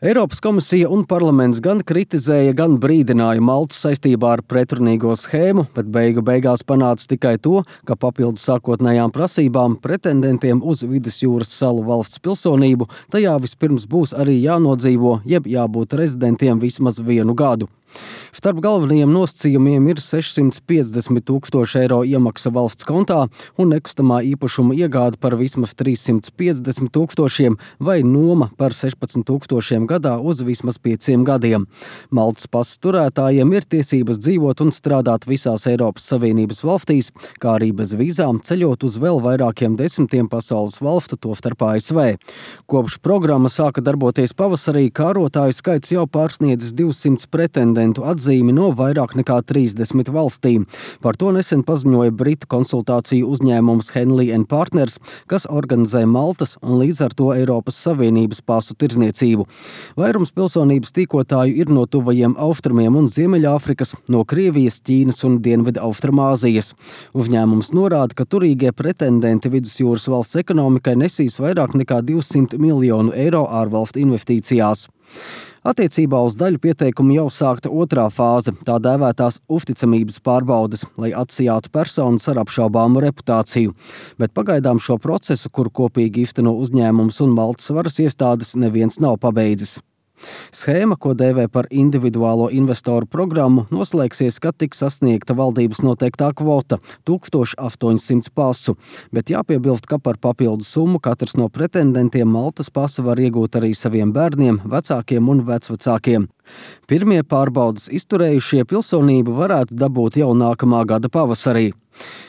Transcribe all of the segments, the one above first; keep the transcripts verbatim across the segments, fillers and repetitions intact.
Eiropas komisija un parlaments gan kritizēja, gan brīdināja Maltu saistībā ar pretrunīgo schēmu, bet beigu beigās panāca tikai to, ka papildus sākotnējām prasībām pretendentiem uz Vidusjūras salu valsts pilsonību tajā vispirms būs arī jānodzīvo, jeb jābūt rezidentiem vismaz vienu gadu. Starp galvenajiem nosacījumiem ir sešsimt piecdesmit tūkstoši eiro iemaksa valsts kontā un nekustamā īpašuma iegāde par vismaz trīssimt piecdesmit tūkstošiem vai noma par sešpadsmit tūkstošiem gadā uz vismaz pieciem gadiem. Maltas pasas turētājiem ir tiesības dzīvot un strādāt visās Eiropas Savienības valstīs, kā arī bez vīzām ceļot uz vēl vairākiem desmitiem pasaules valstu, tostarp A S V. Kopš programma sāka darboties pavasarī, kārotāju skaits jau pārsniedzis divsimt pretendentu atzīmi no vairāk nekā trīsdesmit valstīm. Par to nesen paziņoja britu konsultāciju uzņēmums Henley and Partners, kas organizē Maltas un līdz ar to Eiropas Savienības pasu tirdzniecību. Vairums pilsonības tīkotāju ir no tuvajiem austrumiem un Ziemeļāfrikas, no Krievijas, Ķīnas un Dienvidu Austrumāzijas. Uzņēmums norāda, ka turīgie pretendenti Vidusjūras valsts ekonomikai nesīs vairāk nekā divsimt miljonu eiro ārvalstu investīcijās. Attiecībā uz daļu pieteikumu jau sākta otrā fāze, tā dēvētās uzticamības pārbaudes, lai atsijātu personas ar apšaubāmu reputāciju. Bet pagaidām šo procesu, kuru kopīgi īsteno uzņēmums un Maltas varas iestādes, neviens nav pabeidzis. Schēma, ko dēvē par individuālo investoru programmu, noslēgsies, kad tiks sasniegta valdības noteiktā kvota – tūkstoš astoņsimt pasu, bet jāpiebilst, ka par papildu summu katrs no pretendentiem Maltas pasu var iegūt arī saviem bērniem, vecākiem un vecvecākiem. Pirmie pārbaudas izturējušie pilsonību varētu dabūt jau nākamā gada pavasarī.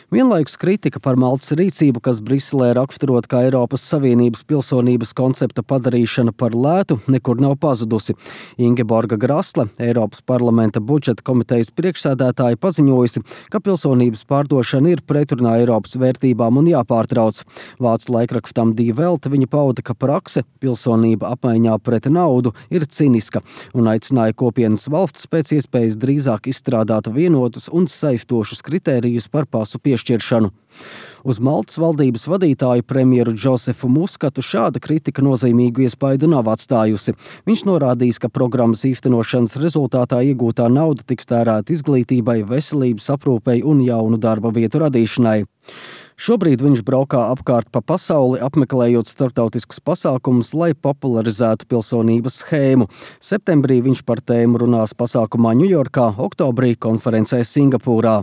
Vienlaikus kritika par Maltas rīcību, kas Briselē raksturot kā Eiropas Savienības pilsonības koncepta padarīšana par lētu, nekur nav pazudusi. Ingeborga Grasle, Eiropas parlamenta budžeta komitejas priekšsēdētāja, paziņojusi, ka pilsonības pārdošana ir pretrunā Eiropas vērtībām un jāpārtrauc. Vācu laikrakstam Die Welt viņa pauda, ka prakse pilsonība apmaiņā pret naudu ir ciniska un aicināja kopienas valsts pēc iespējas drīzāk izstrādāt vienotus un saistošus kritērijus par pasu piešķiršanu. Uz Maltas valdības vadītāju premjeru Džosefu Muskatu šāda kritika nozīmīgu iespaidu nav atstājusi. Viņš norādījis, ka programmas īstenošanas rezultātā iegūtā nauda tiks tērēta izglītībai, veselības aprūpei un jaunu darba vietu radīšanai. Šobrīd viņš braukā apkārt pa pasauli, apmeklējot starptautiskus pasākumus, lai popularizētu pilsonības schēmu. Septembrī viņš par tēmu runās pasākumā Ņujorkā, oktobrī konferencē Singapūrā.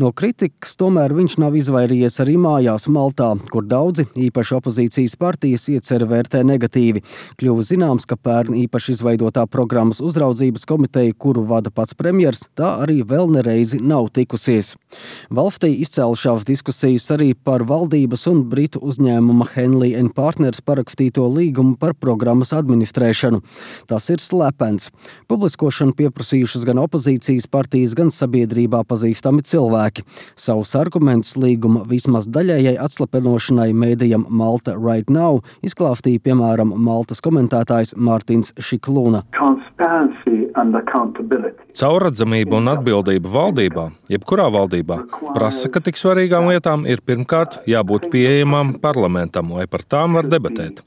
No kritikas tomēr viņš nav izvairījies arī mājās Maltā, kur daudzi, īpaši opozīcijas partijas, ieceri vērtē negatīvi. Kļuva zināms, ka pērn īpaši izveidotā programmas uzraudzības komiteja, kuru vada pats premjers, tā arī vēl nereizi nav tikusies. Valstī izcēlušās diskusijas arī par valdības un britu uzņēmuma Henley and Partners parakstīto līgumu par programmas administrēšanu. Tas ir slepens. Publiskošanu pieprasījušas gan opozīcijas partijas, gan sabiedrībā pazīstami cilvēki. Savus argumentus līguma vismaz daļējai atslepenošanai mēdījam Malta Right Now izklāstīja piemēram Maltas komentētājs Mārtiņš Šiklūna. Caurredzamība un atbildība valdībā, jebkurā valdībā, prasa, ka tik svarīgām lietām ir pirmkārt jābūt pieejamām parlamentam, lai par tām var debatēt.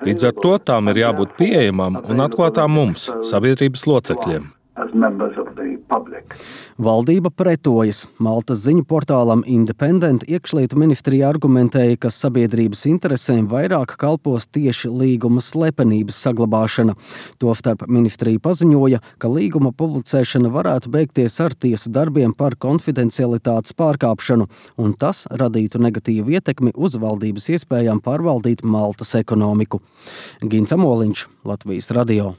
Līdz ar to tām ir jābūt pieejamām un atklātām mums, sabiedrības locekļiem. Valdība pretojas. Maltas ziņu portālam Independent iekšlietu ministrija argumentēja, ka sabiedrības interesēm vairāk kalpos tieši līguma slepenības saglabāšana. Tostarp ministrija paziņoja, ka līguma publicēšana varētu beigties ar tiesu darbiem par konfidencialitātes pārkāpšanu, un tas radītu negatīvu ietekmi uz valdības iespējām pārvaldīt Maltas ekonomiku. Gins Amoliņš, Latvijas radio.